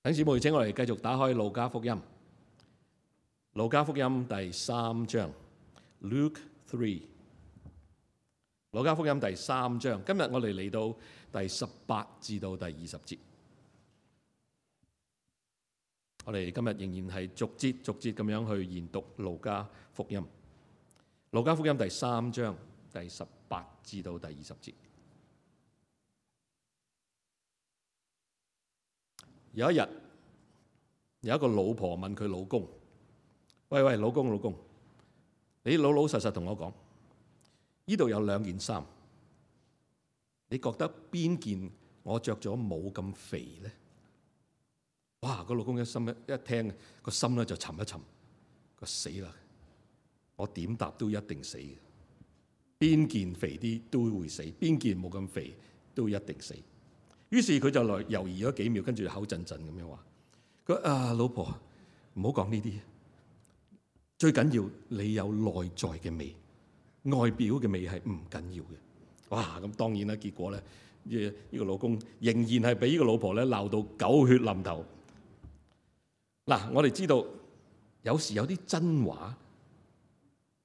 弟兄姊妹，請我哋繼續打開路加福音。路加福音第3章 Luke 3。路加福音第3章，今日我哋嚟到第18至到第20節。我哋今日仍然係逐節咁樣去研讀路加福音。路加福音第3章第18至到第20節。有一日，有一個老婆問佢老公：喂，老公，你老實實同我講，呢度有2件衫，你覺得邊件我着咗冇咁肥咧？哇！個老公一聽個心咧就沉一沉，佢死啦！我點答都一定死嘅，邊件肥啲都會死，邊件冇咁肥都一定死。於是佢就來猶豫咗幾秒，跟住口震震咁樣話：佢老婆，唔好講呢啲，最緊要你有內在嘅美，外表嘅美係唔緊要嘅。哇！咁當然啦，結果咧，呢個老公仍然係俾呢個老婆咧鬧到狗血淋頭。嗱，我哋知道有時有啲真話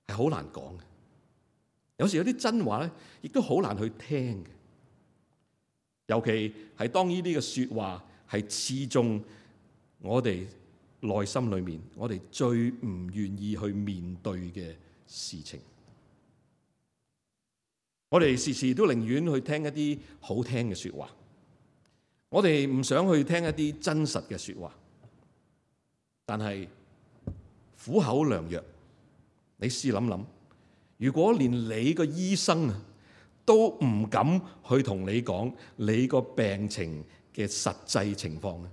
係好難講嘅，有時有啲真話咧亦都好難去聽嘅。尤其係當呢啲嘅説話係刺中我哋內心裏面，我哋最唔願意去面對嘅事情，我哋時時都寧願去聽一啲好聽嘅説話，我哋唔想去聽一啲真實嘅説話。但係苦口良藥，你試諗諗，如果連你個醫生都唔敢去同你講你個病情嘅實際情況咧，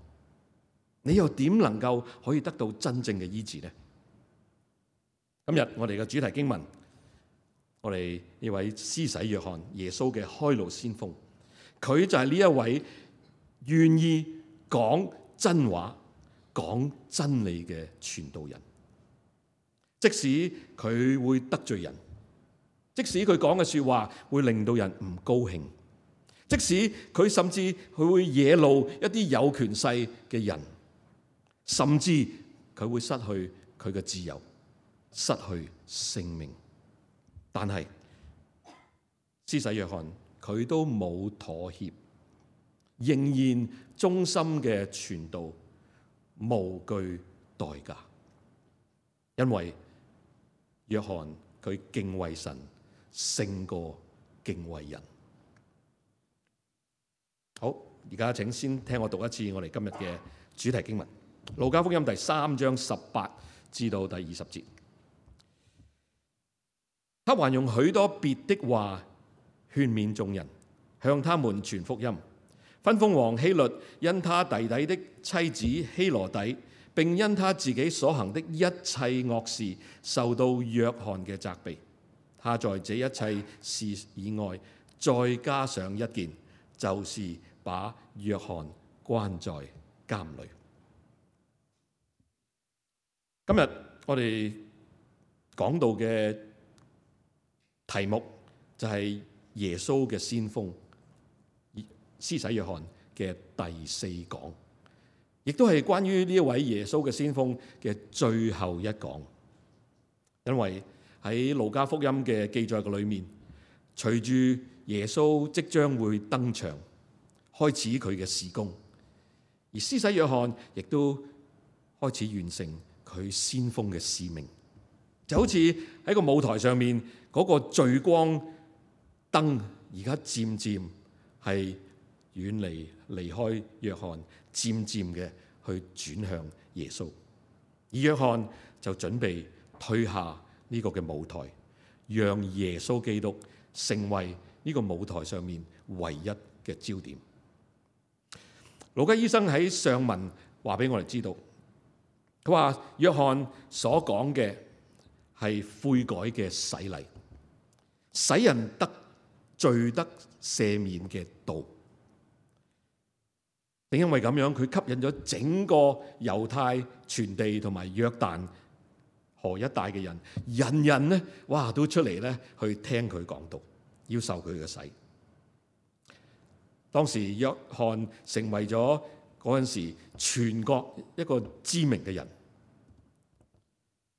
你又點能夠可以得到真正嘅醫治呢？今日我哋嘅主題經文，我哋呢位施洗約翰，耶穌嘅開路先鋒，佢就係呢一位願意講真話、講真理嘅傳道人。即使佢會得罪人，即使佢講嘅說話會令到人唔高興，即使佢甚至佢會惹怒一啲有權勢嘅人，甚至佢會失去佢嘅自由，失去性命，但係施洗約翰佢都冇妥協，仍然忠心嘅傳道，無懼代價，因為約翰佢敬畏神勝過敬畏人。好，而家請先聽我讀一次我哋今日嘅主題經文，路加福音第3章18至到第20節。他還用許多別的話勸勉眾人，向他們傳福音，吩咐王希律因他弟弟的妻子希羅底，並因他自己所行的一切惡事，受到約翰嘅責備。他在這一切事以外，再加上一件，就是把約翰關在監裏。今日我哋講到嘅題目就係耶穌嘅先鋒施洗約翰嘅第4講，亦都係關於呢一位耶穌嘅先鋒嘅最後一講。因為喺路加福音嘅記載嘅裏面，隨住耶穌即將會登場，開始佢嘅事工，而施洗約翰亦都開始完成佢先鋒嘅使命，就好似喺個舞台上面嗰個聚光燈，而家漸漸係遠離開約翰，漸漸嘅去轉向耶穌，而約翰就準備退下呢個嘅舞台，讓耶穌基督成為呢個舞台上面唯一嘅焦點。路加醫生喺上文話俾我哋知道，佢話約翰所講嘅係悔改嘅洗禮，使人得罪得赦免嘅道。正因為咁樣，佢吸引咗整個猶太全地同埋約旦河一帶嘅人，人人呢，都出嚟咧去聽佢講道，要受佢嘅洗。當時約翰成為咗嗰陣時全國一個知名嘅人。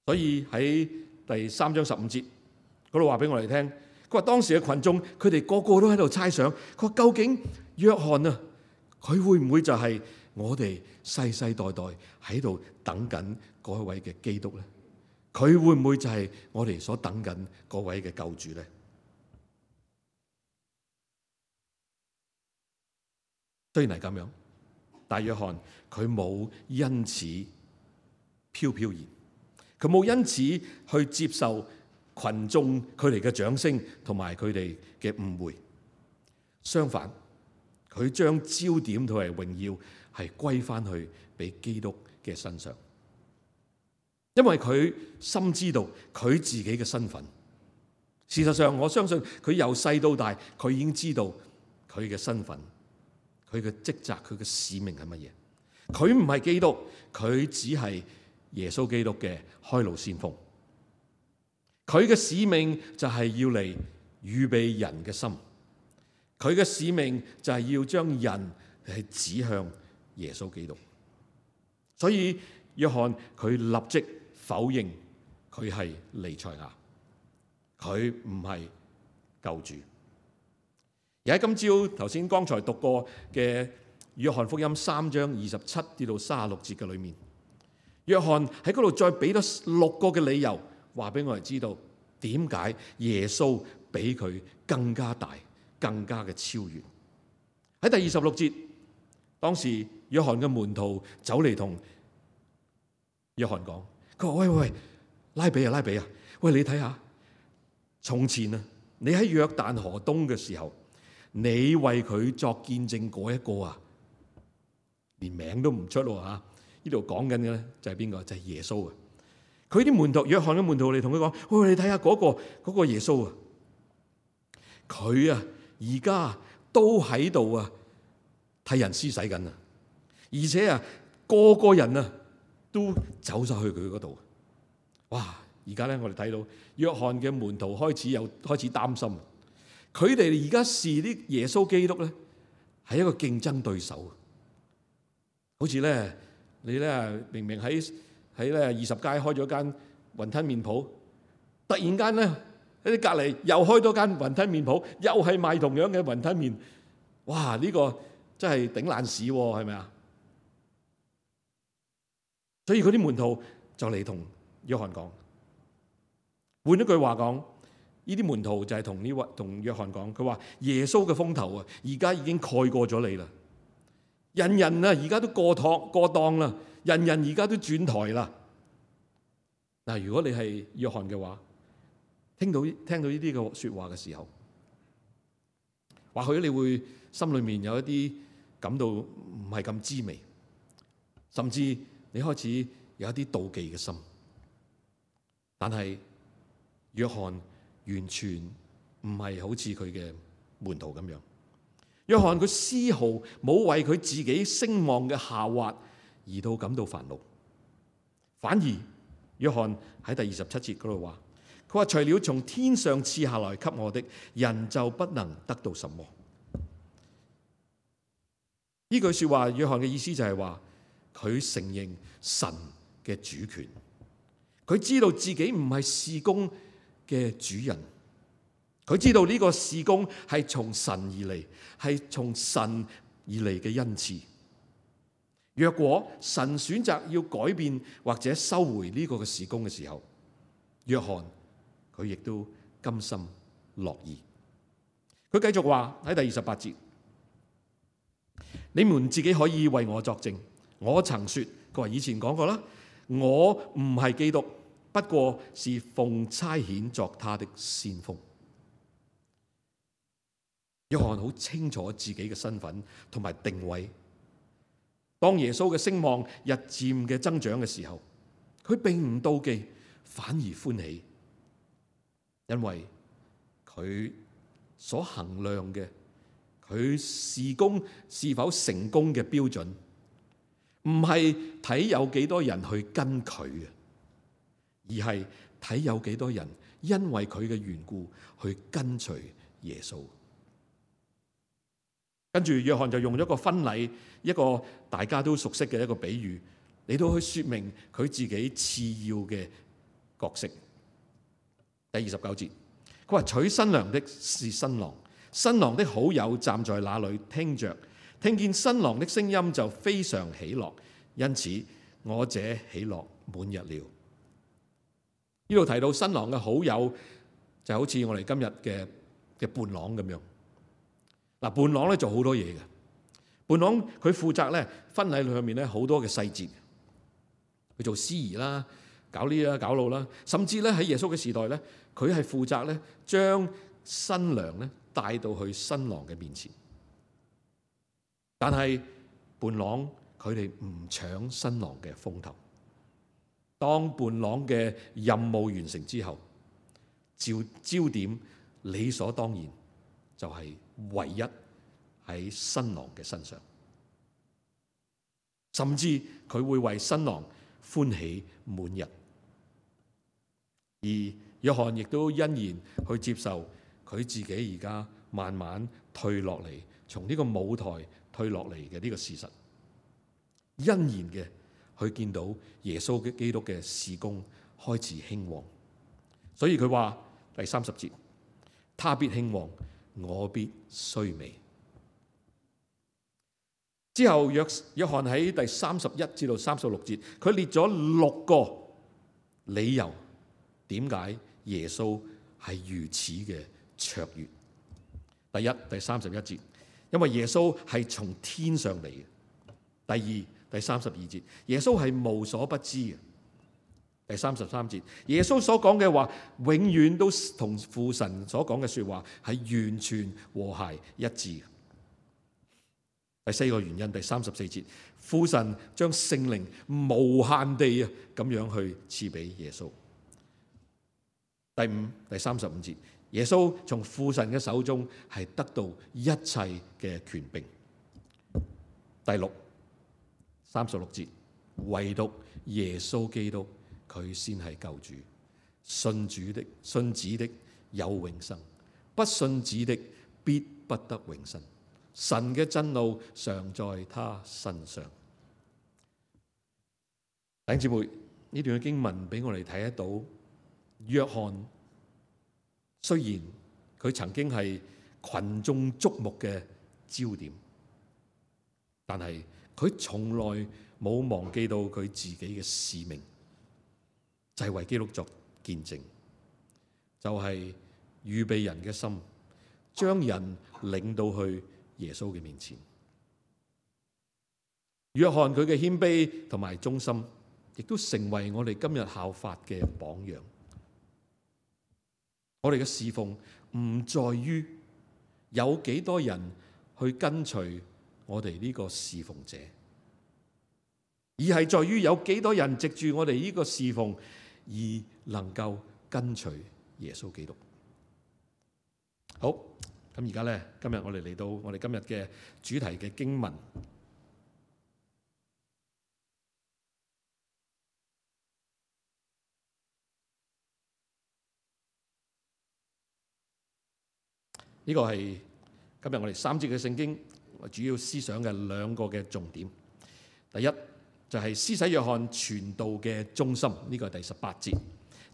所以喺第3章15節嗰度話俾我哋聽，佢話當時嘅群眾佢哋個個都喺度猜想，佢話究竟約翰啊，佢會唔會就係我哋世世代代喺度等緊嗰一位嘅基督咧？佢會唔會就係我哋所等緊嗰位嘅救主咧？雖然係咁樣，但約翰佢冇因此飄飄然，佢冇因此去接受群眾佢哋嘅掌聲同埋佢哋嘅誤會。相反，佢將焦點同埋榮耀係歸翻去俾基督嘅身上，因為佢深知道佢自己嘅身份。事實上，我相信佢由細到大，佢已經知道佢嘅身份、佢嘅職責、佢嘅使命係乜嘢。佢唔係基督，佢只係耶穌基督嘅開路先鋒。佢嘅使命就係要嚟預備人嘅心，佢嘅使命就係要將人係指向耶穌基督。所以約翰佢立即否認佢係彌賽亞，佢唔係救主。而喺今朝頭先剛才讀過嘅約翰福音3章27至到36節嘅裏面，約翰喺嗰度再俾咗6個嘅理由，話俾我哋知道點解耶穌比佢更加大、更加嘅超越。喺第26節，當時約翰嘅門徒走嚟同約翰講，佢話：喂，拉比啊，喂，你睇下，從前啊，你喺約旦河東嘅時候，你為佢作見證嗰一個啊，連名都唔出喎嚇。呢度講緊嘅咧就係邊個？就係耶穌啊！佢啲門徒，約翰嘅門徒嚟同佢講：喂，你睇下嗰個耶穌啊，佢啊而家都喺度啊替人施洗緊啊，而且啊個個人啊都走晒去佢嗰度。哇！而家咧我哋睇到約翰嘅門徒開始擔心，佢哋而家視啲耶穌基督咧係一個競爭對手，好似咧你咧明明喺咧20街開咗間雲吞麵鋪，突然間咧喺啲隔離又開多間雲吞麵鋪，又係賣同樣嘅雲吞麵，哇！呢個真係頂爛市喎，係咪啊？所以嗰啲門徒就嚟同約翰講，換一句話講，呢啲門徒就係同約翰講，佢話耶穌嘅風頭啊，而家已經蓋過咗你啦，人人啊而家都過檔啦，人人而家都轉台啦。嗱，如果你係約翰嘅話，聽到呢啲嘅說話嘅時候，或許你會心裏面有一啲感到唔係咁滋味，甚至你開始有一啲妒忌嘅心。但係約翰完全唔係好似佢嘅門徒咁樣，約翰佢絲毫冇為佢自己聲望嘅下滑而到感到煩惱，反而約翰喺第27節嗰度話，佢話除了從天上賜下來給我的，人就不能得到什麼。呢句說話，約翰嘅意思就係話，佢承認神嘅主權，佢知道自己唔係事工嘅主人，佢知道呢個事工係從神而嚟，係從神而嚟嘅恩賜。若果神選擇要改變或者收回呢個嘅事工嘅時候，約翰佢亦都甘心樂意。佢繼續話喺第28節，你們自己可以為我作證，我曾說，佢話以前講過啦，我唔係基督，不過是奉差遣作他的先鋒。約翰好清楚自己嘅身份同埋定位。當耶穌嘅聲望日漸嘅增長嘅時候，佢並唔妒忌，反而歡喜，因為佢所衡量嘅，佢事工是否成功嘅標準，唔係睇有幾多人去跟佢嘅，而係睇有幾多人因為佢嘅緣故去跟隨耶穌。跟住約翰就用咗個婚禮，一個大家都熟悉嘅一個比喻嚟到去說明佢自己次要嘅角色。第29節，佢話娶新娘的是新郎，新郎的好友站在那裏聽着，聽見新郎的聲音就非常喜樂，因此我這喜樂滿溢了。呢度提到新郎嘅好友就好似我哋今日嘅伴郎咁樣。嗱，伴郎咧做好多嘢嘅，伴郎佢負責咧婚禮裏面咧好多嘅細節，佢做司儀啦，搞呢啦搞路啦，甚至咧喺耶穌嘅時代咧，佢係負責咧將新娘咧帶到去新郎嘅面前。但係伴郎佢哋唔搶新郎嘅風頭。當伴郎嘅任務完成之後，焦點理所當然就係唯一喺新郎嘅身上，甚至佢會為新郎歡喜滿溢。而約翰亦都欣然去接受佢自己而家慢慢退落嚟，從呢個舞台退落嚟嘅呢個事實，欣然嘅去見到耶穌嘅基督嘅事工開始興旺。所以佢話第30節，他必興旺，我必衰微。之後約翰喺第31至到36節，佢列咗6個理由，點解耶穌係如此嘅卓越。第一，第31節，因為耶穌係從天上嚟嘅。第二，第32節，耶穌係無所不知嘅。第33節，耶穌所講嘅話永遠都同父神所講嘅說話係完全和諧一致。第4個原因，第34節，父神將聖靈無限地咁樣去賜俾耶穌。第5、第35節，耶穌從父神嘅手中係得到一切嘅權柄。第6、36節，唯獨耶穌基督佢先係救主，信子的有永生，不信子的必不得永生。神嘅真怒常在他身上。弟兄姊妹，呢段嘅經文俾我哋睇得到，約翰雖然佢曾經係群眾矚目嘅焦點，但係佢從來冇忘記到佢自己嘅使命，就係為基督作見證，就係預備人嘅心，將人領到去耶穌嘅面前。約翰佢嘅謙卑同埋忠心，亦都成為我哋今日效法嘅榜樣。我哋嘅侍奉唔在於有幾多人去跟隨我哋呢個侍奉者，而係在於有幾多人藉住我哋呢個侍奉而能夠跟隨耶穌基督。好，咁而家咧，今日我哋嚟到我哋今日嘅主題嘅經文。呢個係今日我哋3節嘅聖經主要思想嘅2個嘅重點。第一就係施洗約翰傳道嘅中心，呢個係第18節。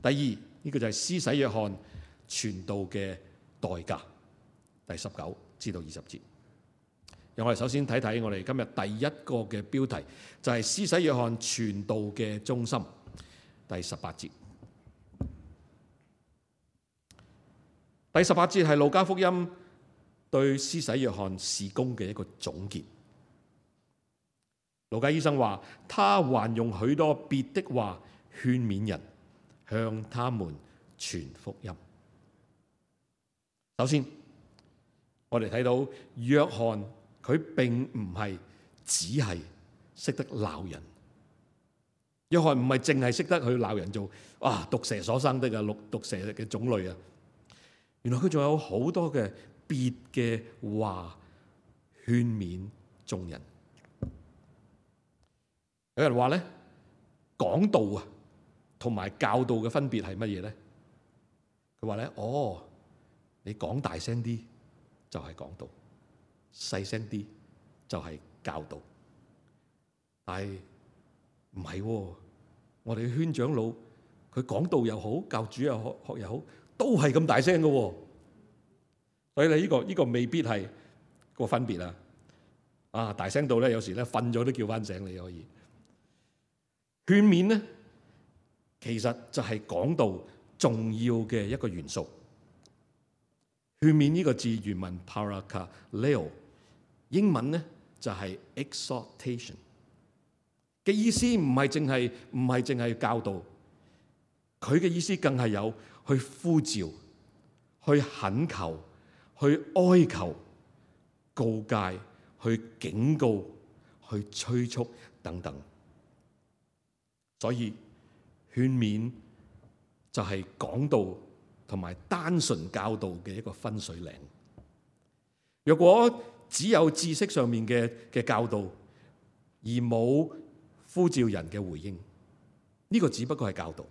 第二，呢個就係施洗約翰傳道嘅代價，第19至到20節。讓我哋首先睇睇我哋今日第一個嘅標題，就係施洗約翰傳道嘅中心，第18節。第18節係路加福音對施洗約翰事工嘅一個總結。路加醫生話，他還用許多別的話勸勉人，向他們傳福音。首先，我哋睇到約翰佢並唔係只係識得鬧人。約翰唔係淨係識得去鬧人做毒蛇所生的毒蛇嘅種類啊。原來佢仲有好多嘅別嘅話勸勉眾人。有人話咧，講道同埋教導嘅分別係乜嘢咧？佢話咧，你講大聲啲就係講道，細聲啲就係教導。但係唔係喎，我哋嘅圈長老佢講道又好，教主又好，學又好，都係咁大聲嘅喎。所以你呢個未必係個分別啊！啊，大聲到咧，有時咧瞓咗都叫翻醒你可以。勸勉咧，其實就係講道重要嘅一個元素。勸勉呢個字原文 parakaleo， 英文咧就係 exhortation 嘅意思，唔係淨係教導，佢嘅意思更係有去呼召、去懇求、去哀求、告誡、去警告、去催促等等。所以勸勉就係講道同埋單純教導嘅一個分水嶺。若果只有知識上面嘅教導，而冇呼召人嘅回應，呢個只不過係教導。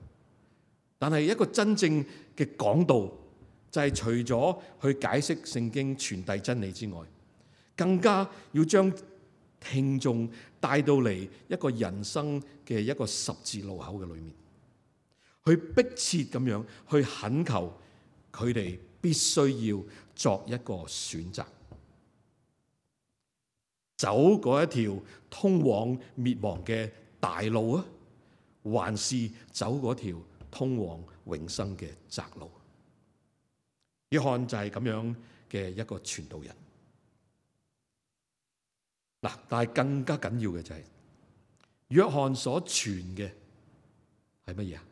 但係一個真正嘅講道，就係除咗去解釋聖經、傳遞真理之外，更加要將聽眾帶到嚟一個人生嘅一個十字路口嘅裏面，去迫切咁樣去懇求佢哋必須要作一個選擇，走嗰一條通往滅亡嘅大路啊，還是走嗰條通往永生嘅窄路？約翰就係咁樣嘅一個傳道人。嗱，但係更加緊要嘅就係約翰所傳嘅係乜嘢啊？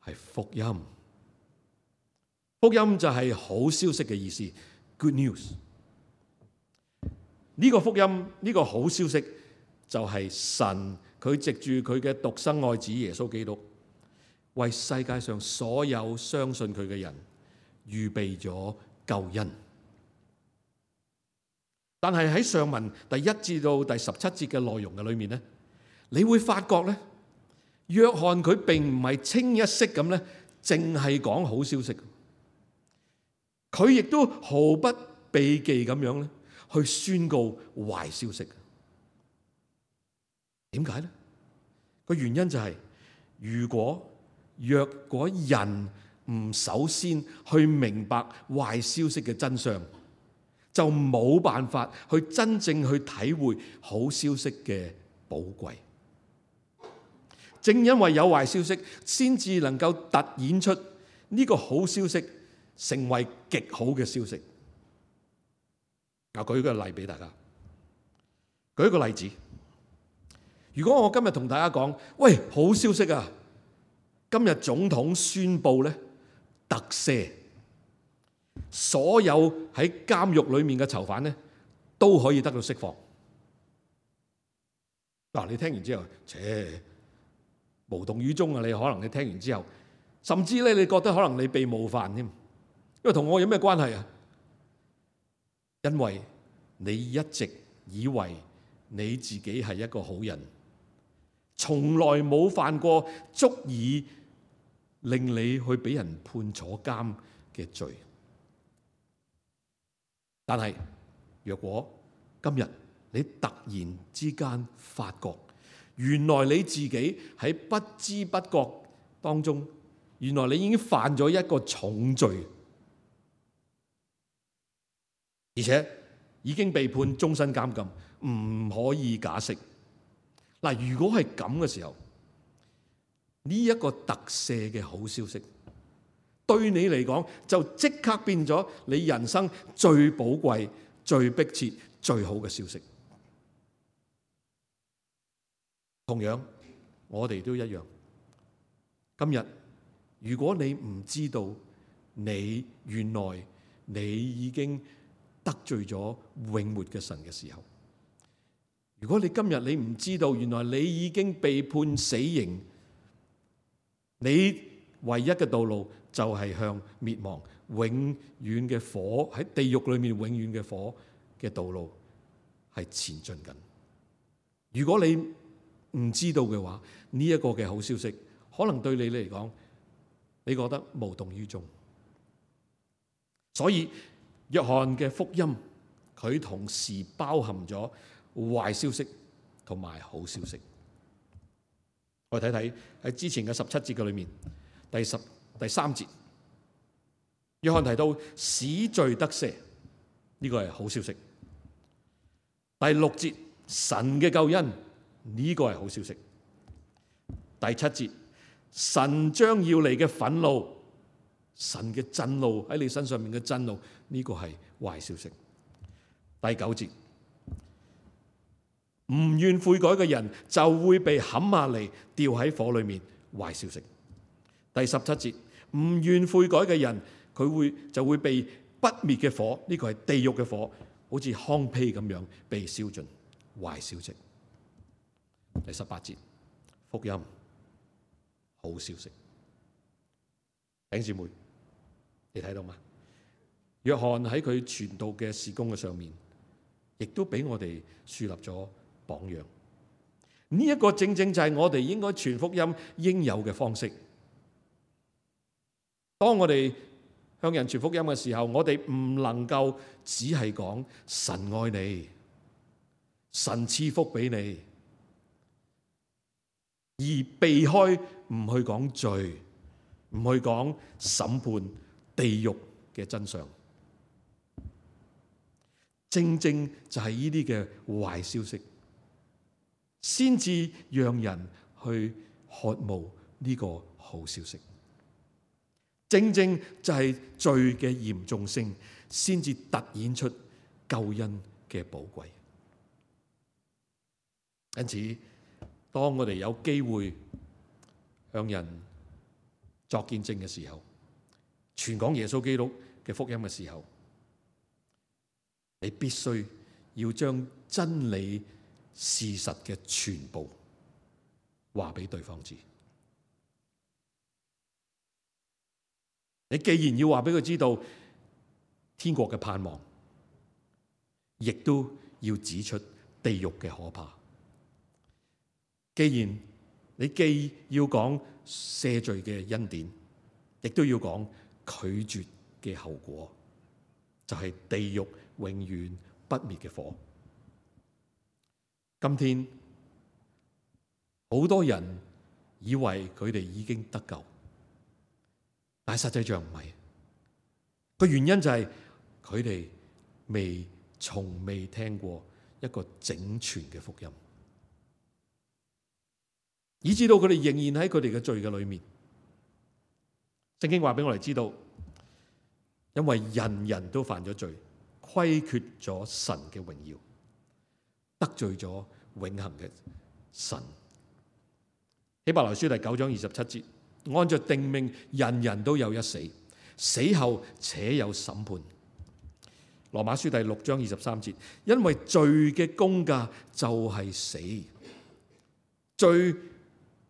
係福音。福音就係好消息嘅意思 ，good news。呢個福音，呢個好消息就係神佢藉住佢嘅獨生愛子耶穌基督，為世界上所有相信佢嘅人預備咗救恩。但係喺上文第1至到第17節嘅內容嘅裏面咧，你會發覺咧，約翰佢並唔係清一色咁咧，淨係講好消息，佢亦都毫不避忌咁樣咧，去宣告壞消息。點解咧？個原因就係，若果人唔首先去明白壞消息嘅真相，就冇辦法去真正去體會好消息嘅寶貴。正因為有壞消息，先至能夠突顯出呢個好消息成為極好嘅消息。我舉個例俾大家，舉一個例子。如果我今日同大家講，喂，好消息啊！今日總統宣布咧特赦，所有喺監獄裏面嘅囚犯咧都可以得到釋放。嗱，你聽完之後，無動於衷啊！你可能你聽完之後，甚至咧你覺得可能你被冒犯添，因為同我有咩關係啊？因為你一直以為你自己係一個好人，從來冇犯過足以令你去俾人判坐監嘅罪。但係若果今日你突然之間發覺，原來你自己喺不知不覺當中，原來你已經犯咗一個重罪，而且已經被判終身監禁，唔可以假釋。嗱，如果係咁嘅時候，呢一個特赦嘅好消息，對你嚟講就即刻變咗你人生最寶貴、最迫切、最好嘅消息。同樣，我哋都一樣。今日如果你唔知道原來你已經得罪咗永活嘅神嘅時候，如果你今日你唔知道原來你已經被判死刑，你唯一嘅道路就係向滅亡、永遠嘅火，喺地獄裏面永遠嘅火嘅道路係前進緊。如果你唔知道嘅話，呢一個嘅好消息可能對你嚟講，你覺得無動於衷。所以約翰嘅福音佢同時包含咗壞消息同埋好消息。我哋睇睇喺之前嘅17節嘅裏面，第3節，約翰提到使罪得赦，呢個係好消息。第6節，神嘅救恩，呢個係好消息。第7節，神將要嚟嘅憤怒，神嘅震怒喺你身上面嘅震怒，呢個係壞消息。第9節，唔願悔改嘅人就會被砍下嚟掉喺火裏面，壞消息。第17節，唔願悔改嘅人佢就會被不滅嘅火，呢個係地獄嘅火，好似糠秕咁樣被燒盡，壞消息。第18節，福音，好消息。弟兄姊妹，你睇到嗎？約翰喺佢傳道嘅事工嘅上面，亦都俾我哋樹立咗榜樣。呢一個正正就係我哋應該傳福音應有嘅方式。當我哋向人傳福音嘅時候，我哋唔能夠只係講神愛你，神賜福俾你，而避開唔去講罪，唔去講審判地獄嘅真相。正正就係呢啲嘅壞消息，先至讓人去渴慕呢個好消息。正正就係罪嘅嚴重性，先至突顯出救恩嘅寶貴。因此，當我哋有機會向人作見證嘅時候，傳講耶穌基督嘅福音嘅時候，你必須要將真理事實嘅全部話俾對方知。你既然要話俾佢知道天國嘅盼望，亦都要指出地獄嘅可怕。既然你既要講赦罪嘅恩典，亦都要講拒絕嘅後果，就係地獄永遠不滅嘅火。今天好多人以為佢哋已經得救，但係實際上唔係。個原因就係佢哋從未聽過一個整全嘅福音，以致到佢哋仍然喺佢哋嘅罪嘅裏面。聖經話俾我哋知道，因為人人都犯咗罪，虧缺咗神嘅榮耀，得罪咗永恆嘅神。希伯來書第9章27節，按着定命，人人都有一死，死後且有審判。羅馬書第6章23節，因為罪嘅工價就係死。罪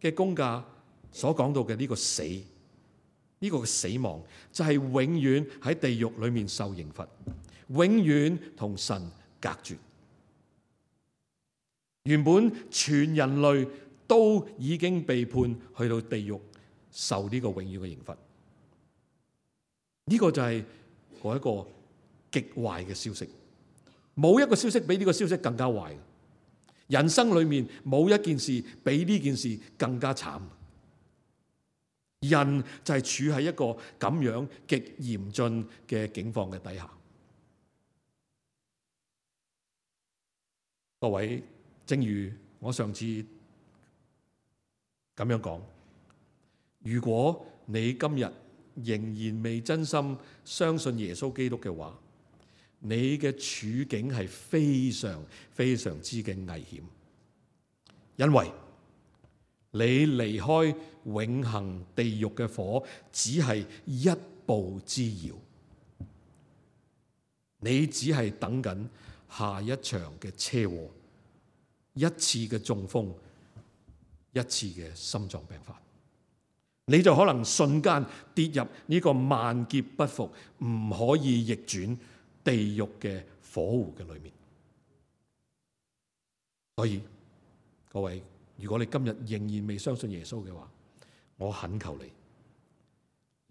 嘅工價所講到嘅呢個死，呢個死亡就係永遠喺地獄裏面受刑罰，永遠同神隔絕。原本全人類都已經被判去到地獄受呢個永遠嘅刑罰。呢個就係嗰一個極壞嘅消息，冇一個消息比呢個消息更加壞。人生裏面冇一件事比呢件事更加慘。人就係處喺一個咁樣極嚴峻嘅境況嘅底下。各位，正如我上次咁樣講，如果你今日仍然未真心相信耶穌基督嘅話，你嘅處境係非常非常之嘅危險，因為你離開永恆地獄嘅火只係一步之遙，你只係等緊下一場嘅車禍，一次嘅中風，一次嘅心臟病發，你就可能瞬間跌入呢個萬劫不復、唔可以逆轉地獄嘅火湖嘅裏面。所以各位，如果你今日仍然未相信耶穌嘅話，我懇求你，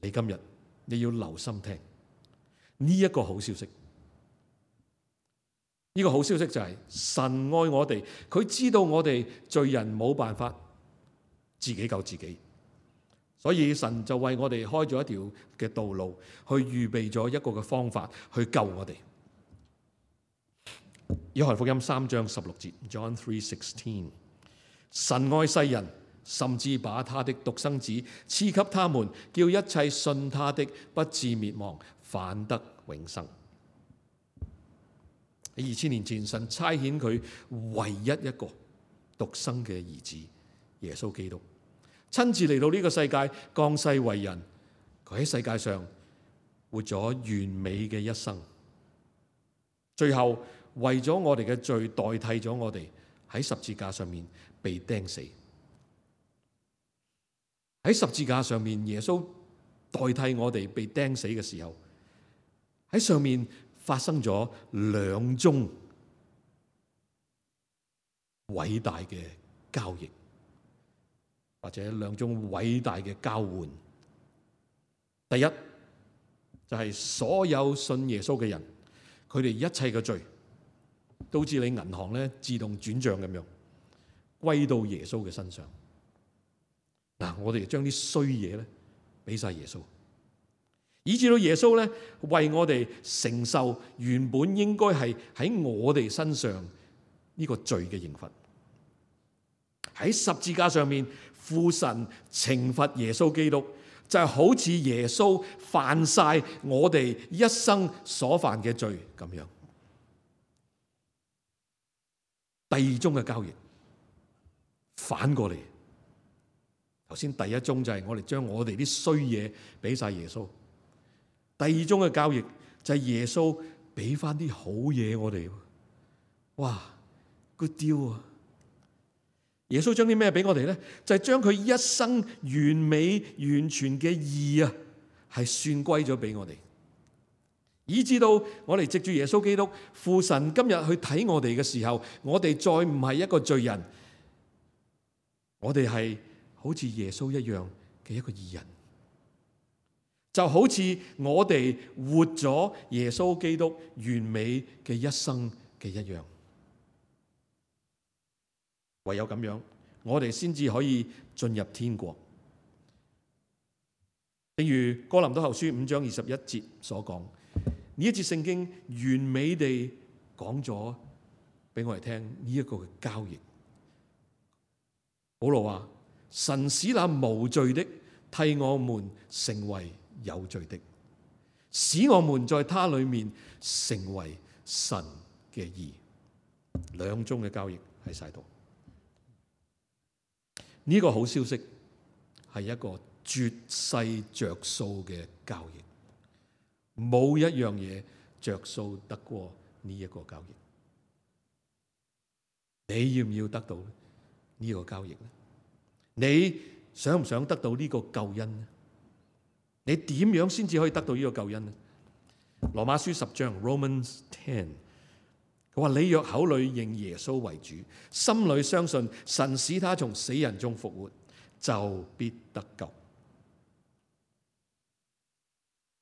你今日你要留心聽呢一個好消息。呢個好消息就係神愛我哋，佢知道我哋罪人冇辦法自己救自己，所以神就為我哋開咗一條嘅道路，去預備咗一個嘅方法去救我哋。約翰福音3章16節 John 3:16， 神愛世人，甚至把他的獨生子賜給他們，叫一切信他的不至滅亡，反得永生。喺2000年前，神差遣佢唯一一個獨生嘅兒子耶穌基督，親自嚟到呢個世界，降世為人。佢喺世界上活咗完美嘅一生，最後為咗我哋嘅罪代替咗我哋喺十字架上面被釘死。喺十字架上面，耶穌代替我哋被釘死嘅時候，喺上面發生咗兩宗偉大嘅交易，或者兩宗偉大嘅交換。第一就係所有信耶穌嘅人，佢哋一切嘅罪都似你銀行咧自動轉賬咁樣歸到耶穌嘅身上。嗱，我哋將啲衰嘢咧俾晒耶穌，以至到耶穌咧為我哋承受原本應該係喺我哋身上呢個罪嘅刑罰。喺十字架上面，父神懲罰耶穌基督，就係好似耶穌犯晒我哋一生所犯嘅罪咁樣。第二宗嘅交易反過嚟，頭先第一宗就係我哋將我哋啲衰嘢俾晒耶穌，第二宗嘅交易就係耶穌俾翻啲好嘢我哋。哇 ，good deal 啊！耶穌將啲咩俾我哋咧？就係將佢一生完美完全嘅義啊，係算歸咗俾我哋，以至到我哋藉住耶穌基督，父神今日去睇我哋嘅時候，我哋再唔係一個罪人，我哋係好似耶穌一樣嘅一個義人，就好似我哋活咗耶穌基督完美嘅一生嘅一樣。唯有咁樣，我哋先至可以進入天國。正如哥林多後書5章21節所講，呢一節聖經完美地講咗俾我哋聽呢一個嘅交易。保羅話：神使那無罪的替我們成為有罪的，使我們在他裏面成為神嘅義。兩宗嘅交易喺晒度。呢個好消息係一個絕世着數嘅交易，冇一樣嘢着數得過呢一個交易。你要唔要得到呢個交易呢？你想唔想得到呢個救恩呢？你點樣先至可以得到呢個救恩呢？羅馬書10章 Romans 10，佢話：你若口裏認耶穌為主，心裏相信神使他從死人中復活，就必得救。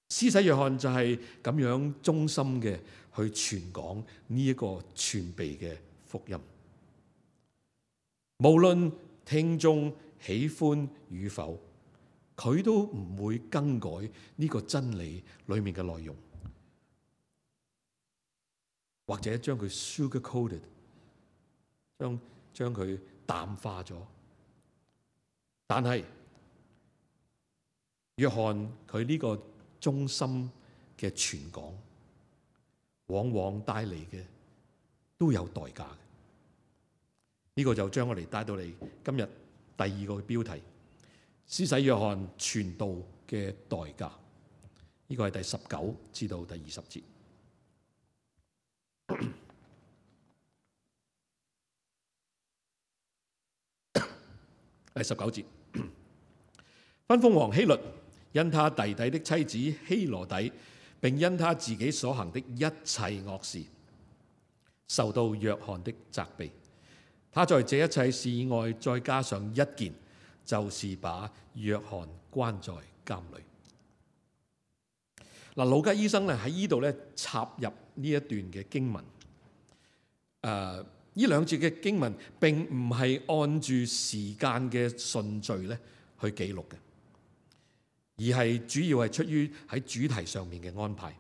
施洗約翰就係咁樣忠心嘅去傳講呢一個全備嘅福音，無論聽眾喜歡與否，佢都唔會更改呢個真理裏面嘅內容，或者將佢 sugar coated， 將佢淡化咗。但係約翰佢呢個忠心嘅傳講，往往帶嚟嘅都有代價嘅。呢個就將我哋帶到嚟今日第二個標題：施洗約翰傳道嘅代價。呢個係第19至到第20節。第19節，分封王希律因他弟弟的妻子希羅底，並因他自己所行的一切惡事，受到約翰的責備。他在這一切事以外，再加上一件，就是把約翰關在監裏。嗱，路加醫生咧喺呢度咧插入呢一段嘅經文，呢兩節嘅經文並唔係按住時間嘅順序咧去記錄嘅，而係主要係出於喺主題上面嘅安排。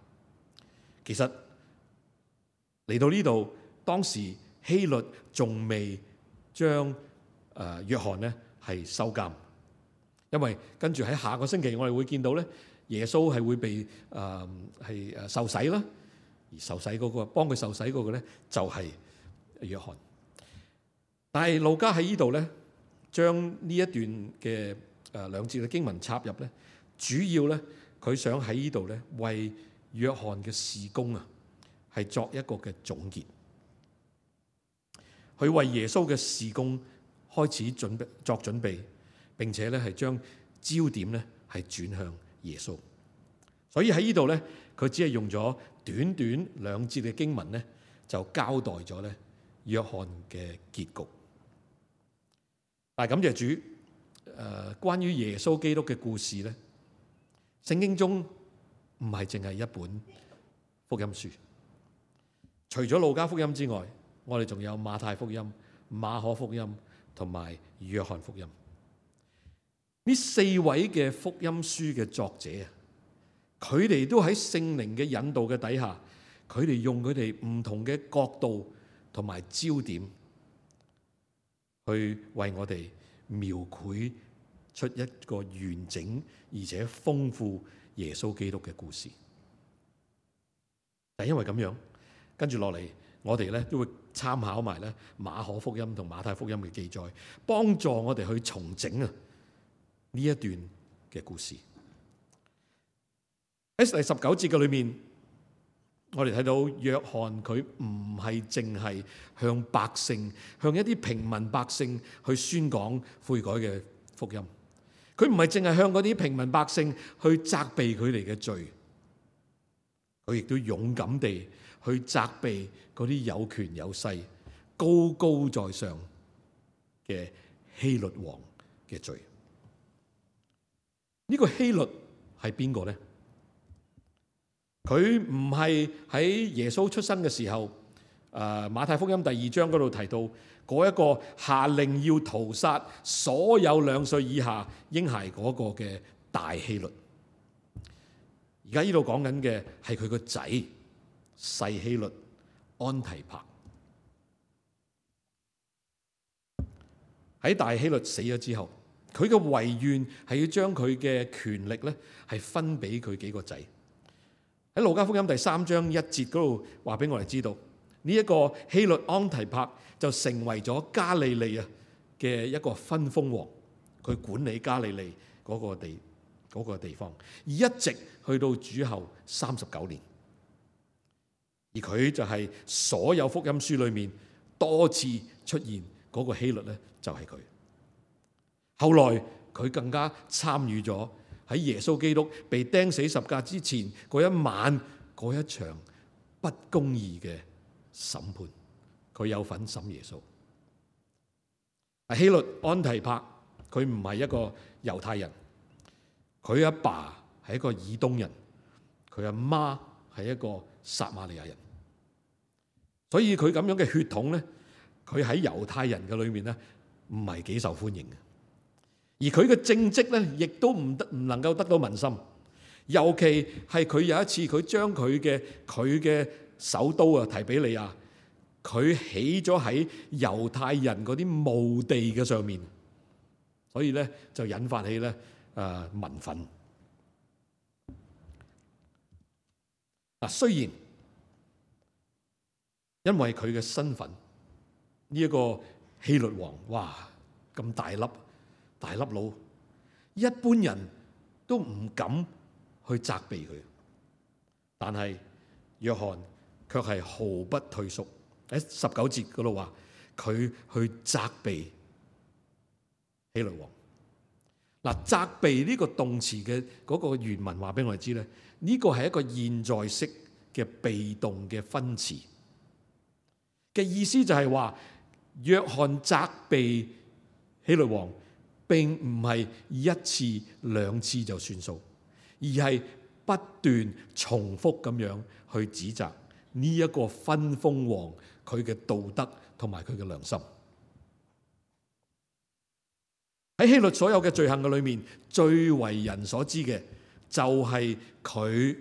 其實嚟到呢度，當時希律仲未將約翰咧係收監，因為跟住喺下個星期我哋會見到咧，耶穌係會被受洗啦，而受洗嗰個幫佢受洗嗰個咧就係約翰。但係路加喺呢度咧，將呢一段嘅兩節嘅經文插入咧，主要咧佢想喺呢度咧為約翰嘅事工係作一個嘅總結，佢為耶穌嘅事工開始作準備，並且咧係將焦點咧係轉向耶穌。所以喺呢度咧，佢只係用咗短短兩節嘅經文咧，就交代咗咧約翰嘅結局。但係感謝主，關於耶穌基督嘅故事咧，聖經中唔係淨係一本福音書。除咗路加福音之外，我哋仲有馬太福音、馬可福音同埋約翰福音。呢四位嘅福音書嘅作者啊，佢哋都喺聖靈嘅引導嘅底下，佢哋用佢哋唔同嘅角度同埋焦點，去為我哋描繪出一個完整而且豐富耶穌基督嘅故事。但因為咁樣，跟住落嚟，我哋咧都會參考埋咧馬可福音同馬太福音嘅記載，幫助我哋去重整呢一段嘅故事。喺第19節嘅裏面，我哋睇到約翰佢唔係淨係向百姓，向一啲平民百姓去宣講悔改嘅福音。佢唔係淨係向嗰啲平民百姓去責備佢哋嘅罪，佢亦都勇敢地去責備嗰啲有權有勢、高高在上嘅希律王嘅罪。呢個希律係邊個呢？佢唔係喺耶穌出生嘅時候，馬太福音第2章嗰度提到嗰一個下令要屠殺所有2歲以下嬰孩嗰個嘅大希律。而家呢度講緊嘅係佢個仔細希律安提帕。喺大希律死咗之後，佢嘅遺願係要將佢嘅權力咧係分俾佢幾個仔。喺路加福音第3章1節嗰度話俾我哋知道，呢一個希律安提帕就成為咗加利利嘅一個分封王，佢管理加利利嗰個地方，而一直去到主後39年。而佢就係所有福音書裏面多次出現嗰個希律咧，就係佢。後來佢更加參與咗喺耶穌基督被釘死十架之前嗰一晚嗰一場不公義嘅審判，佢有份審耶穌。希律安提帕佢唔係一個猶太人，佢阿爸係一個以東人，佢阿媽係一個撒瑪利亞人，所以佢咁樣嘅血統咧，佢喺猶太人嘅裏面咧唔係幾受歡迎嘅。而佢嘅政績咧，亦都唔能夠得到民心。尤其係佢有一次，佢將佢嘅首都提比利亞，佢起咗喺猶太人嗰啲墓地嘅上面，所以咧就引發起咧民憤。嗱，雖然因為佢嘅身份，呢一個希律王，哇咁大粒佬，一般人都唔敢去責備佢，但係約翰卻係毫不退縮。喺19節嗰度話，佢去責備希律王。嗱，責備呢個動詞嘅嗰個原文話俾我哋知咧，呢個係一個現在式嘅被動嘅分詞嘅意思，就係話約翰責備希律王，並唔係一次兩次就算數，而係不斷重複咁樣去指責呢一個分封王佢嘅道德同埋佢嘅良心。喺希律所有嘅罪行嘅裏面，最為人所知嘅就係佢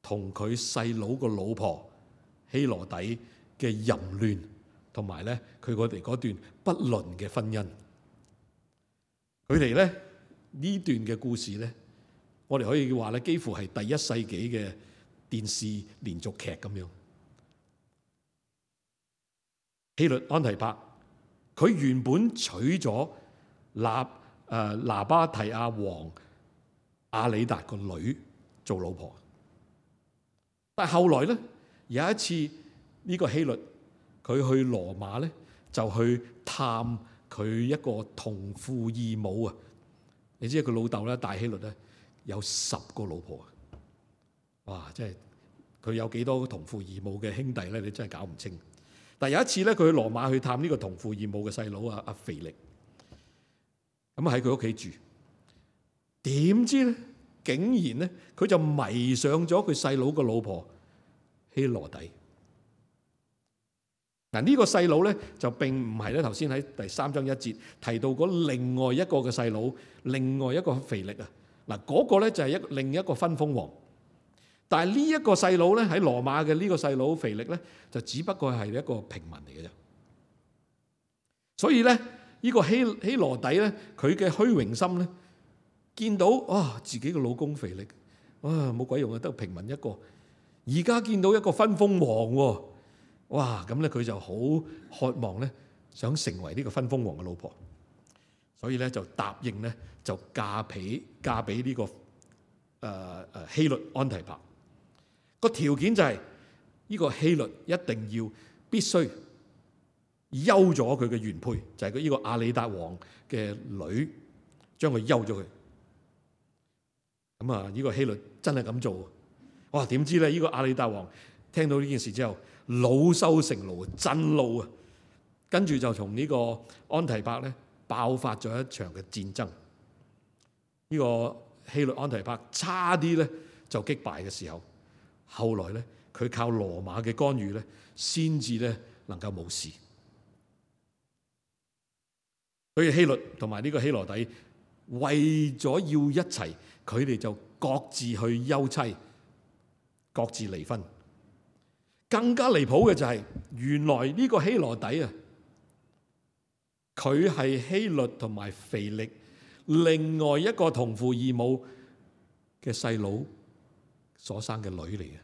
同佢細佬個老婆希羅底嘅淫亂，同埋咧佢哋嗰段不倫嘅婚姻。佢哋咧呢段嘅故事咧，我哋可以話咧，幾乎係第一世紀嘅電視連續劇咁樣。希律安提帕，佢原本娶咗拿巴提亞王亞里達個女做老婆，但係後來咧有一次呢個希律佢去羅馬咧，就去探佢一個同父異母啊！你知佢老豆咧大希律咧有10個老婆啊！哇！真係佢有幾多同父異母嘅兄弟咧？你真係搞唔清。但係有一次咧，佢去羅馬去探呢個同父異母嘅細佬啊，阿腓力，咁喺佢屋企住。點知咧，竟然咧，佢就迷上咗佢細佬個老婆希羅底。嗱，呢個細佬咧就並唔係咧頭先喺第3章1節提到嗰另外一個嘅細佬，另外一個腓力啊。嗱，嗰個咧就係另一個分封王。但係呢一個細佬咧喺羅馬嘅呢個細佬腓力咧，就只不過係一個平民嚟嘅啫。所以咧，呢個希羅底咧，佢嘅虛榮心咧，見到自己嘅老公腓力，冇鬼用啊，得平民一個。而家見到一個分封王喎，哇！咁咧佢就好渴望咧，想成為呢個分封王嘅老婆。所以咧就答應咧，就嫁俾呢個希律安提帕。個條件就係呢個希律一定要必須休咗佢嘅原配，就係佢呢個亞里達王嘅女，將佢休咗佢。咁啊，呢個希律真係咁做。哇！點知咧，呢個亞里達王聽到呢件事之後，惱羞成怒，震怒啊！跟住就同呢個安提帕咧爆發咗一場嘅戰爭。呢個希律安提帕差啲咧就擊敗嘅時候，後來咧佢靠羅馬嘅干預咧，先至咧能夠冇事。所以希律同埋呢個希羅底為咗要一齊，佢哋就各自去休妻，各自離婚。更加離譜嘅就係，原來呢個希羅底啊，佢係希律同埋腓力另外一個同父異母嘅細佬所生嘅女嚟嘅。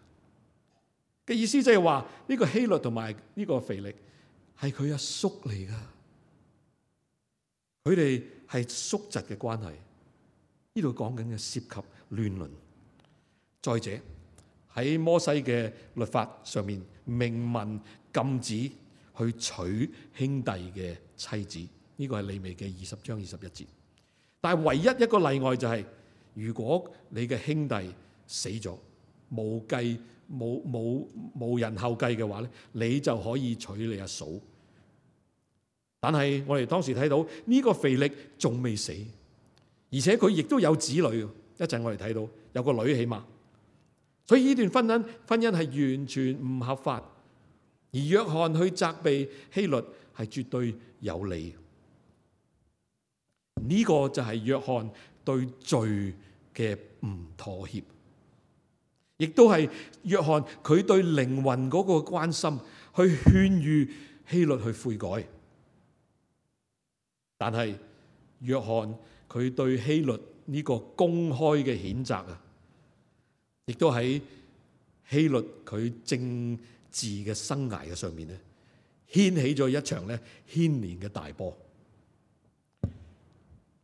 嘅意思即係話呢個希律同埋呢個腓力係佢阿叔嚟噶，佢哋係叔侄嘅關係。呢度講緊嘅涉及亂倫。再者喺摩西嘅律法上面明文禁止去娶兄弟嘅妻子，呢個係利未記20章21節。但係唯一一個例外就係，如果你嘅兄弟死咗，冇人後繼嘅話咧，你就可以娶你阿嫂。但係我哋當時睇到呢個腓力仲未死，而且佢亦都有子女。一陣我哋睇到有個女起碼，所以呢段婚姻係完全唔合法。而約翰去責備希律係絕對有理。呢個就係約翰對罪嘅唔妥協，亦都係約翰佢對靈魂嗰個關心，去勸喻希律去悔改。但係約翰佢對希律呢個公開嘅譴責啊，亦都喺希律佢政治嘅生涯嘅上面咧，掀起咗一場咧牽連嘅大波。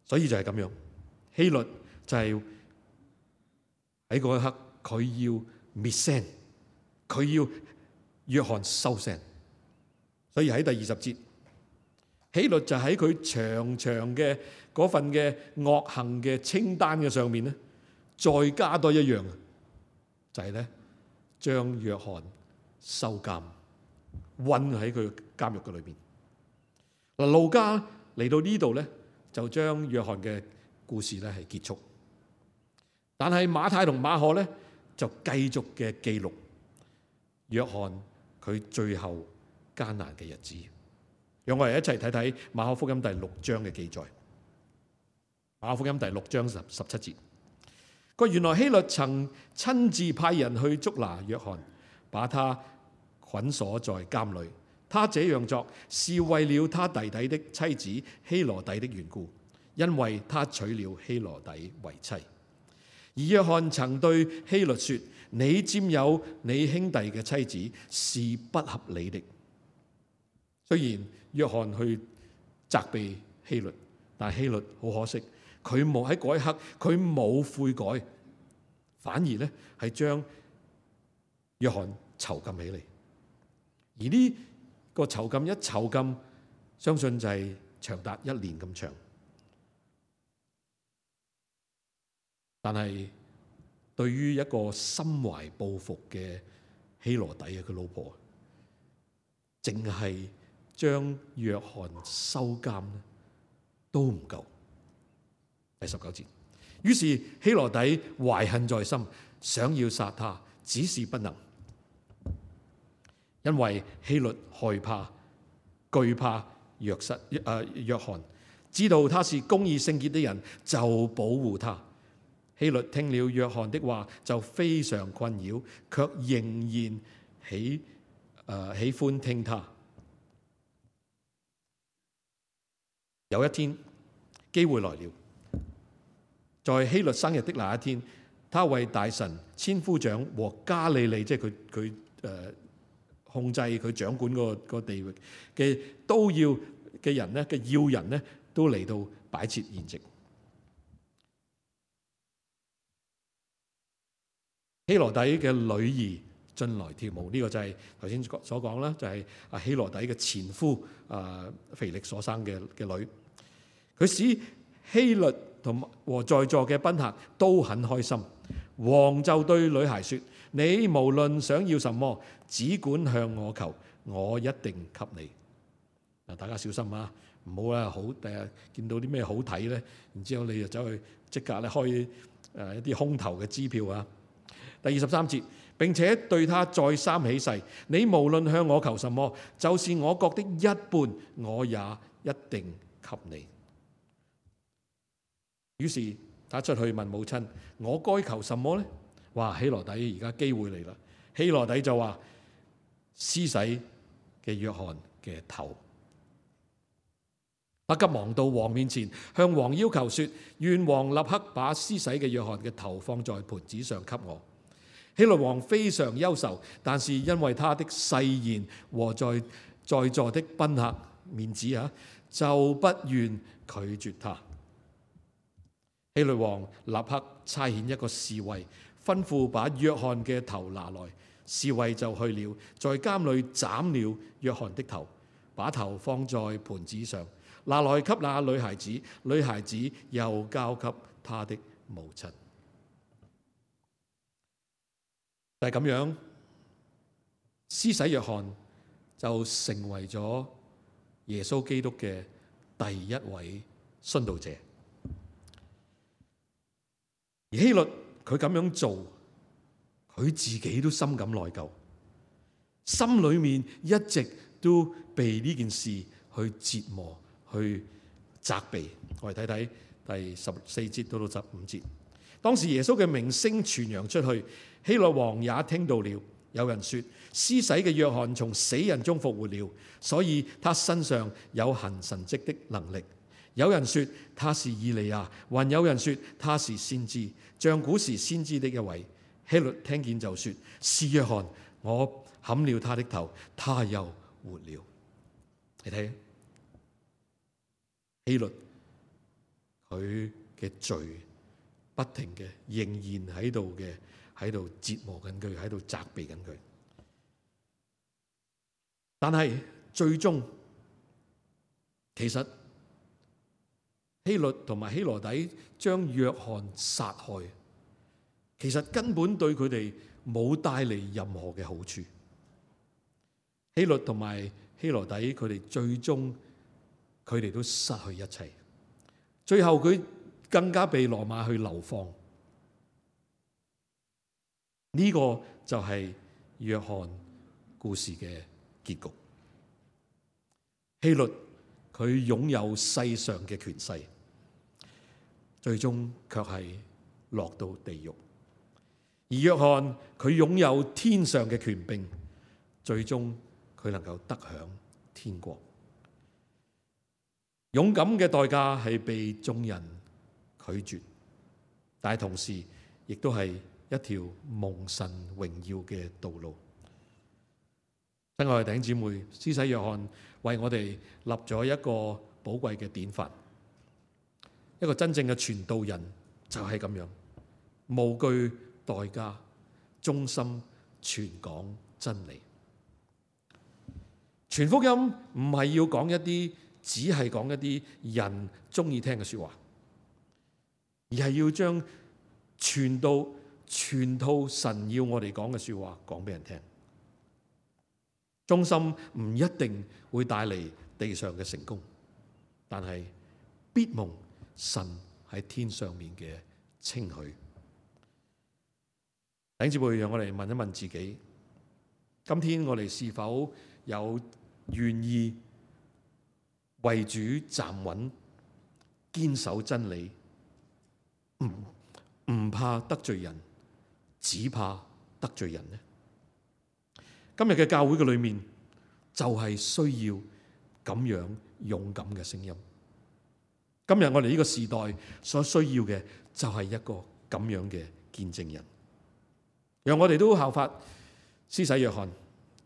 所以就係咁樣，希律就係喺嗰一刻，佢要滅聲，佢要約翰收聲。所以喺第20節，希律就喺佢長長嘅嗰份嘅惡行嘅清單嘅上面咧，再加多一樣，就係咧將約翰收監，韞喺佢監獄嘅裏邊。嗱，路加嚟到呢度咧，就將約翰嘅故事咧係結束。但係馬太同馬可咧就繼續嘅記錄約翰佢最後艱難嘅日子。讓我哋一齊睇睇馬可福音第6章嘅記載。馬可福音第6章17節，佢原來希律曾親自派人去捉拿約翰，把他捆鎖在監裏。他這樣做是為了他弟弟的妻子希羅底的緣故，因為他娶了希羅底為妻。而約翰曾對希律說：你佔有你兄弟嘅妻子是不合理的。雖然約翰去責備希律，但希律好可惜，佢冇喺嗰一刻佢冇悔改，反而咧係將約翰囚禁起嚟。而呢個囚禁一囚禁，相信就係長達1年咁長。但係對於一個心懷報復嘅希羅底佢老婆，淨係將約翰收監都唔夠。第19節，於是希羅底懷恨在心，想要殺他，只是不能，因為希律害怕、懼怕約翰，知道他是公義聖潔的人，就保護他。希律聽了約翰的話，就非常困擾，卻仍然喜歡聽他。有一天，機會來了，在希律生日的那一天，他為大臣、千夫長和加利利，即係佢控制佢掌管個地域嘅都要嘅人咧嘅要人咧，都嚟到擺設筵席。希羅底嘅女兒進來跳舞，呢個就係頭先所講啦，就係希羅底嘅前夫腓力所生嘅女。佢使希律和在座嘅賓客都很開心。王就對女孩說：你無論想要什麼，只管向我求，我一定給你。嗱，大家小心啊，唔好啦，第日見到啲咩好睇咧，然之後你就走去即刻咧開一啲空頭嘅支票啊。第23節，並且對他再三起誓：你無論向我求什麼，就是我國的一半，我也一定給你。於是他出去問母親：我該求什麼呢？哇！希羅底而家機會嚟啦。希羅底就話：施洗嘅約翰嘅頭。他急忙到王面前，向王要求說：願王立刻把施洗嘅約翰嘅頭放在盤子上給我。希律王非常憂愁，但是因為他的誓言和在座的賓客面子就不願拒絕他。希律王立刻差遣一個侍衛，吩咐把約翰嘅頭拿來。侍衛就去了，在監裏斬了約翰的頭，把頭放在盤子上，拿來給那女孩子，女孩子又交給他的母親。就係咁樣，施洗約翰就成為咗耶穌基督嘅第一位殉道者。而希律佢咁樣做，佢自己都深感內疚，心裏面一直都被呢件事去折磨、去責備。我哋睇睇第14節到15節。當時耶穌嘅名聲傳揚出去，希律王也聽到了。有人說，施洗嘅約翰從死人中復活了，所以他身上有行神蹟的能力。有人說他是以利亞，還有人說他是先知，像古時先知的一位。希律聽見就說：是約翰，我砍了他的頭，他又活了。你睇，希律佢嘅罪不停嘅仍然喺度折磨緊佢，喺度責備緊佢。但係最終其實希律同埋希羅底將約翰殺害，其實根本對佢哋冇帶嚟任何嘅好處。希律同埋希羅底佢哋最終佢哋都失去一切，最後佢更加被羅馬去流放。呢個就係約翰故事嘅結局。希律佢擁有世上嘅權勢，最終卻係落到地獄；而約翰佢擁有天上嘅權柄，最終佢能夠得享天國。勇敢嘅代價係被眾人拒絕，但係同時亦都係一條蒙神榮耀嘅道路。親愛嘅弟兄姊妹，施洗約翰為我哋立咗一個寶貴嘅典範，一個真正嘅傳道人就係咁樣，無懼代價，忠心傳講真理。傳福音唔係要講一啲，只係講一啲人中意聽嘅說話，而係要將全套神要我哋講嘅說話講俾人聽。忠心唔一定會帶嚟地上嘅成功，但係必蒙神喺天上面嘅稱許。弟兄姊妹，讓我哋問一問自己，今天我哋是否有願意為主站穩，堅守真理，唔怕得罪人，只怕得罪人呢？今日嘅教會嘅裏面就係需要咁樣勇敢嘅聲音。今日我哋呢個時代所需要嘅就係一個咁樣嘅見證人，讓我哋都效法施洗約翰，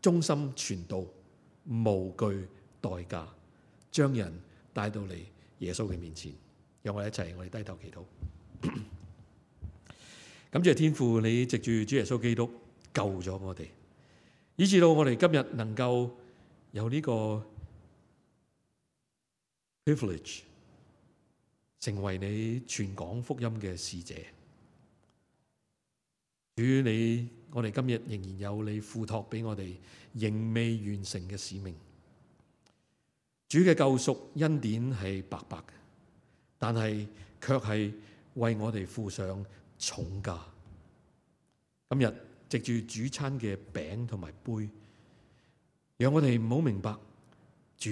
忠心傳道，無懼代價，將人帶到嚟耶穌嘅面前。讓我哋一齊，我哋低頭祈禱。感謝天父，你藉住主耶穌基督救咗我哋，以至到我哋今日能夠有呢個 privilege， 成為你傳講福音嘅使者。主你，我哋今日仍然有你付託俾我哋仍未完成嘅使命。主嘅救贖恩典係白白嘅，但係卻係為我哋付上重價。今日藉住主餐嘅餅同埋杯，讓我哋唔好明白主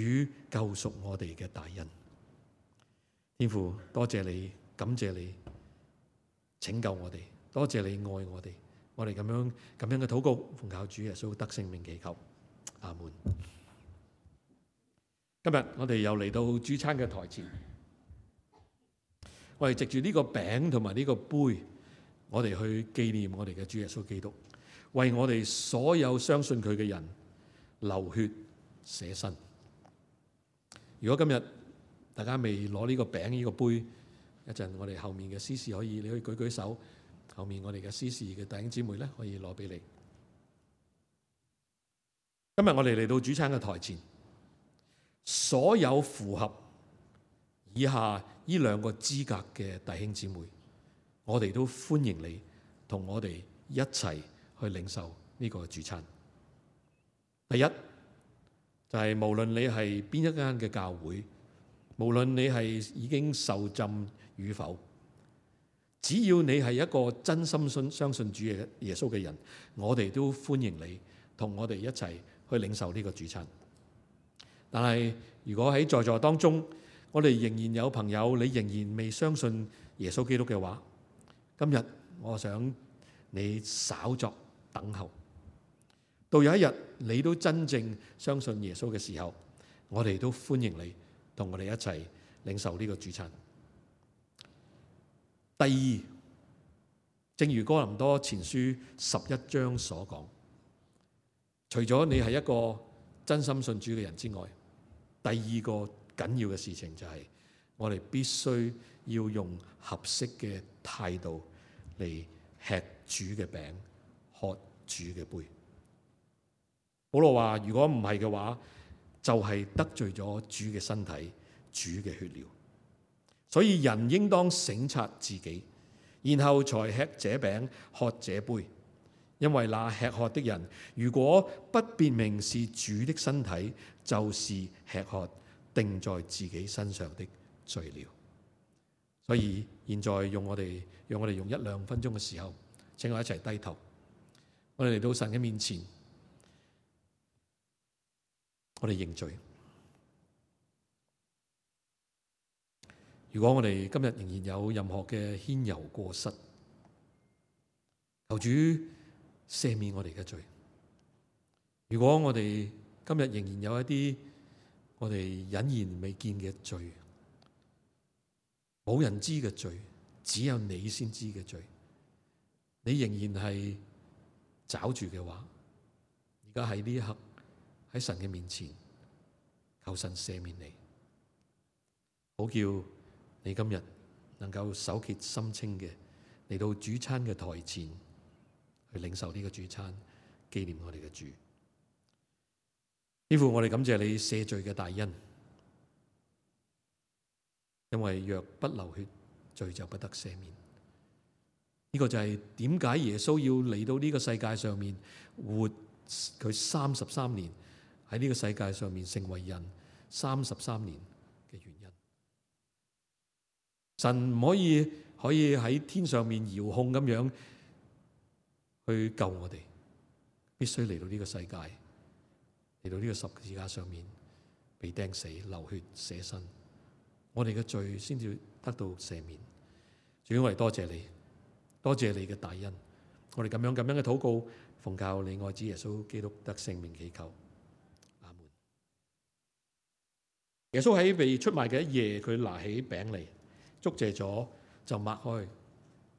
救贖我哋嘅大恩。天父，多謝你，感謝你拯救我哋，多謝你愛我哋。我哋咁樣嘅禱告，奉靠主耶穌得聖名祈求，阿門。今日我哋又嚟到主餐嘅台前，我哋藉住呢個餅同埋呢個杯，我哋去紀念我哋嘅主耶穌基督，為我哋所有相信佢嘅人流血捨身。如果今日大家未攞呢個餅呢個杯，一陣我哋後面嘅司事你可以舉舉手，後面我哋嘅司事嘅弟兄姊妹咧可以攞俾你。今日我哋嚟到主餐嘅台前，所有符合以下呢兩個資格嘅弟兄姊妹，我哋都歡迎你同我哋一齊去領受呢個主餐。第一就係無論你係邊一間嘅教會，無論你係已經受浸與否，只要你係一個真心相信主耶穌嘅人，我哋都歡迎你同我哋一齊去領受呢個主餐。但係如果喺在座當中，我哋仍然有朋友，你仍然未相信耶穌基督嘅話，今日我想你稍作等候，到有一日你都真正相信耶穌嘅時候，我哋都歡迎你同我哋一齊領受呢個主餐。第二，正如哥林多前書11章所講，除咗你係一個真心信主嘅人之外，第二個緊要嘅事情就係我哋必須要用合適嘅態度嚟吃主嘅餅，喝主嘅杯。保羅話：如果唔係嘅話，就係得罪咗主嘅身體、主嘅血了。所以人應當省察自己，然後才吃這餅、喝這杯。因為那吃喝的人，如果不辨明是主的身體，就是吃喝定在自己身上的罪了。所以現在讓我哋用1-2分鐘嘅時候，請我一齊低頭，我哋嚟到神嘅面前，我哋認罪。如果我哋今日仍然有任何嘅愆尤過失，求主赦免我哋嘅罪。如果我哋今日仍然有一啲我哋隱然未見嘅罪，冇人知嘅罪，只有你先知嘅罪，你仍然係抓住嘅話，而家喺呢一刻喺神嘅面前，求神赦免你，好叫你今日能夠手潔心清嘅嚟到主餐嘅台前去領受呢個主餐，紀念我哋嘅主。天父，我哋感謝你赦罪嘅大恩，因為若不流血，罪就不得赦免。呢個就係點解耶穌要嚟到呢個世界上面活佢33年，喺呢個世界上面成為人33年嘅原因。神唔可以喺天上面遙控咁樣去救我哋，必須嚟到呢個世界，嚟到呢個十字架上面被釘死、流血捨身，我哋嘅罪先至得到赦免。主，我哋多謝你，多謝你嘅大恩。我哋咁樣嘅禱告，奉靠你愛子耶穌基督得聖名祈求，阿門。耶穌喺被出賣嘅一夜，佢拿起餅嚟，祝謝咗就擘開，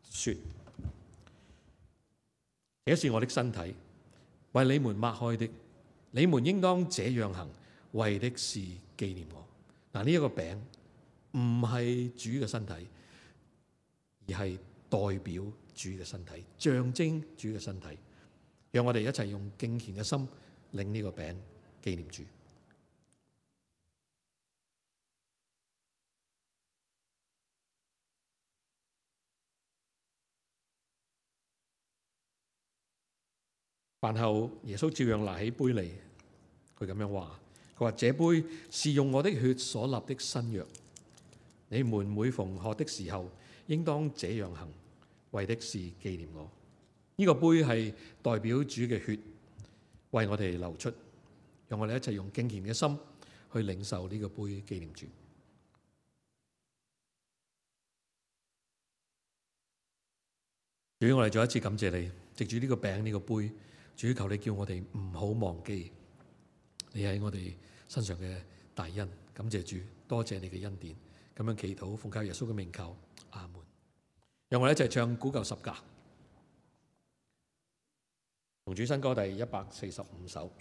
說：這是我的身體，為你們擘開的，你們應當這樣行，為的是紀念我。嗱，呢一個餅唔係主嘅身體，而係代表主嘅身體，象徵主嘅身體。讓我哋一齊用敬虔嘅心領呢個餅，紀念主。飯後，耶穌照樣拿起杯嚟，佢咁樣話：佢話這杯是用我的血所立的新約，你們每逢喝的時候，應當這樣行，為的是紀念我。呢個杯係代表主嘅血為我哋流出，讓我哋一齊用敬虔嘅心去領受呢個杯，紀念主。主，我哋再一次感謝你，藉住呢個餅呢個杯，主求你叫我哋唔好忘記你喺我哋身上嘅大恩。感謝主，多謝你嘅恩典。咁樣祈禱，奉靠耶穌嘅名求，阿門。讓我哋一齊唱古舊十架，同主新歌第145首。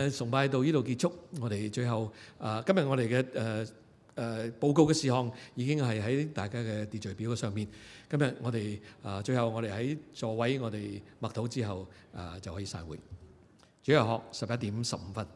崇拜到呢度結束，我哋最後今日我哋嘅報告嘅事項已經係喺大家嘅秩序表上面。今日我哋最後我哋喺座位我哋默禱之後就可以散會。主日學11點15分。